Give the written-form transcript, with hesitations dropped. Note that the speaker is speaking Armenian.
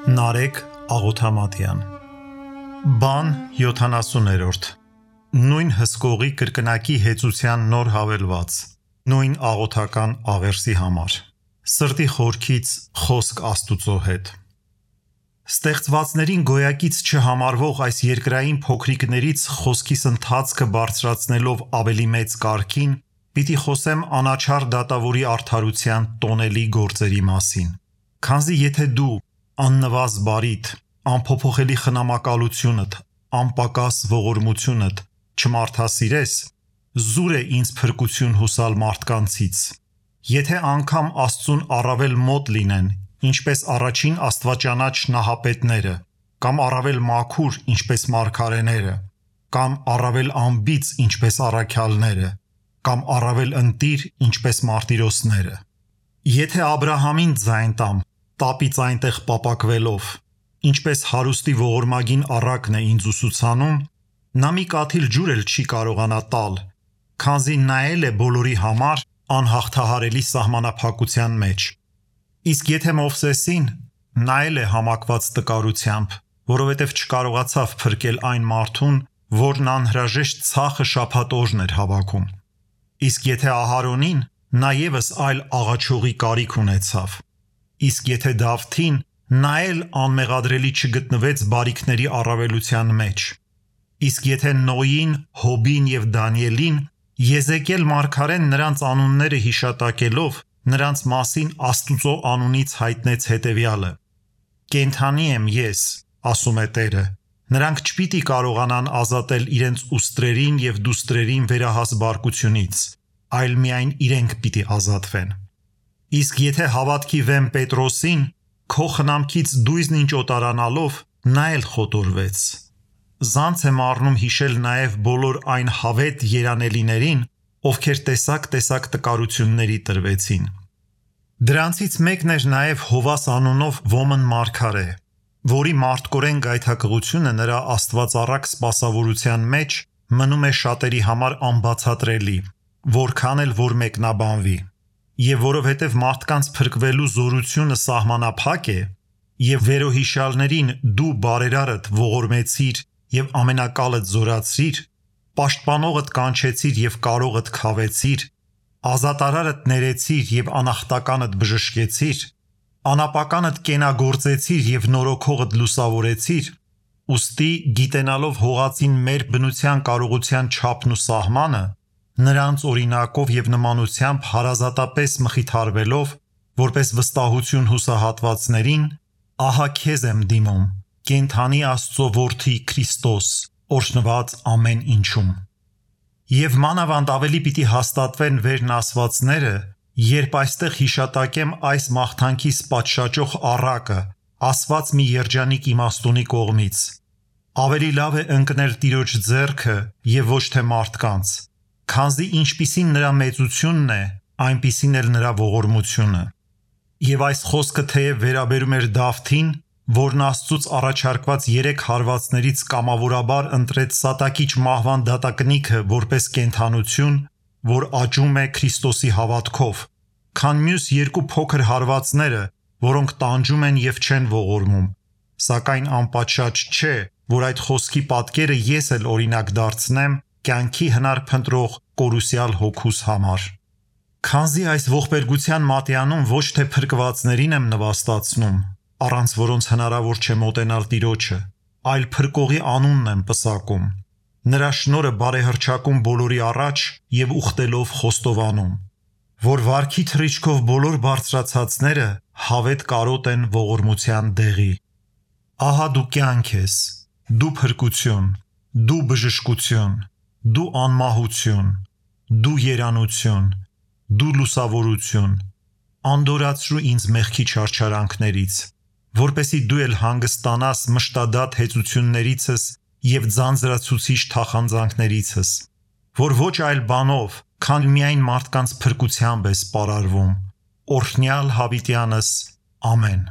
Նարեկ Աղոթամատյան Բան 70-րդ Նույն հսկողի կրկնակի հեծության նոր հավելված Նույն աղոթական աղերսի համար Սրտի խորքից խոսք Աստուծո հետ Ստեղծվածներին գոյակից չհամարվող այս երկրային փոքրիկներից խոսքիս ընթացքը բարձրացնելով ավելի մեծ կարգին պիտի խոսեմ անաչառ դատավորի արդարության տոնելի գործերի մասին Քանզի եթե դու աննվազ բարիդ, անփոփոխելի խնամակալությունդ, անպակաս ողորմությունդ չմարդասիրես, զուր է ինձ փրկություն հուսալ մարդկանցից Եթե անգամ Աստծուն առավել մոտ լինեն, ինչպես առաջին աստվածաճանաչ նահապետները, կամ առավել մաքուր, ինչպես մարգարեները, կամ առավել անբիծ, ինչպես առաքյալները, կամ առավել ընտիր, ինչպես մարտիրոսները Եթե Աբրահամին ձայն տամ, տապից այնտեղ պապակվելով, ինչպես հարուստի ողորմագին առակն է ինձ ուսուցանում, նա մի կաթիլ ջուր էլ չի կարողանա տալ, քանզի նայել է բոլորի համար անհաղթահարելի սահմանափակության մեջ։ Իսկ եթե Մովսեսին նայել է համակված տկարությամբ, որովհետև չկարողացավ փրկել այն մարդուն, որն անհրաժեշտ ցախը շաբաթ օրն էր հավաքում։ Իսկ եթե Ահարոնին, նա ևս այլ աղաչողի կարիք ունեցավ։ Իսկ եթե Դավթին, նա էլ անմեղադրելի չգտնվեց բարիքների առավելության մեջ։ Իսկ եթե Նոյին, Հոբին և Դանիելին, Եզեկիել մարգարեն նրանց անունները հիշատակելով, նրանց մասին Աստուծո անունից հայտնեց հետևյալը. Կենդանի եմ ես, ասում է Տերը, նրանք չպիտի կարողանան ազատել իրենց ուստրերին և դուստրերին վերահաս բարկությունից, այլ միայն իրենք պիտի ազատվեն։ Իսկ եթե հավատքի վեմ Պետրոսին, քո խնամքից դույզն ինչ օտարանալով, նա էլ խոտորվեց։ Զանց եմ առնում հիշել նաև բոլոր այն հավետ երանելիներին, ովքեր տեսակ տկարությունների տրվեցին։ Դրանցից մեկն էր նաև Հովաս անունով ոմն մարգարե, որի մարդկորեն գայթակղությունը նրա աստվածառակ սպասավորության մեջ մնում է շատերի համար անբացատրելի, որքան էլ որ մեկնաբանվի։ Եվ որովհետև մարդկանց փրկվելու զորությունը սահմանափակ է, և վերոհիշյալներին դու բարերարդ ողորմեցիր և ամենակալդ զորացրիր, պաշտպանողդ կանչեցիր և կարողդ քավեցիր, ազատարարդ ներեցիր և անախտականդ բժշկեցիր, անապականդ կենագործեցիր և նորոգողդ լուսավորեցիր, ուստի գիտենալով հողածին մեր բնության կարողության չափն ու սահմանը, նրանց օրինակով և նմանությամբ հարազատապես մխիթարվելով, որպես վստահություն հուսահատվածներին, ահա քեզ եմ դիմում, կենդանի Աստծո որդի Քրիստոս, օրհնված ամեն ինչում։ Եվ մանավանդ ավելի պիտի հաստատվեն վերն ասվածները, երբ այստեղ հիշատակեմ այս մաղթանքիս պատշաճող առակը, ասված մի երջանիկ իմաստունի կողմից։ Ավելի լավ է ընկնել Տիրոջ ձեռքը և ոչ թե մարդկանց, քանզի ինչպիսին նրա մեծությունն է, այնպիսին էլ նրա ողորմությունը։ Եվ այս խոսքը թեև վերաբերում էր Դավթին, որն Աստծուց առաջարկված 3 հարվածներից կամավորաբար ընտրեց սատակիչ մահվան դատակնիքը որպես կենդանություն, որ աճում է Քրիստոսի հավատքով, քան մյուս 2 փոքր հարվածները, որոնք տանջում են և չեն ողորմում, սակայն անպատշաճ չէ, որ այդ խոսքի պատկերը ես էլ օրինակ դարձնեմ կյանքի հնար փնտրող կորուսյալ հոգուս համար։ Քանզի այս ողբերգության մատյանում ոչ թե փրկվածներին եմ նվաստացնում, առանց որոնց հնարավոր չէ մոտենալ Տիրոջը, այլ փրկողի անունն եմ պսակում, նրա շնորհը բարեհռչակում բոլորի առաջ և ուխտելով խոստովանում, որ վարքի թռիչքով բոլոր բարձրացածները հավետ կարոտ են ողորմության դեղի։ Ահա դու կյանք ես, դու փրկություն, դու բժշկություն, դու անմահություն, դու երանություն, դու լուսավորություն, անդորացրու ինձ մեղքի չարչարանքներից, որպեսզի դու էլ հանգստանաս մշտադատ հեծություններիցս և ձանձրացուցիչ թախանձանքներիցս, որ ոչ այլ բանով, քան միայն մարդկանց փրկությամբ ես պարարվում, օրհնյալ հավիտյանս, ամեն։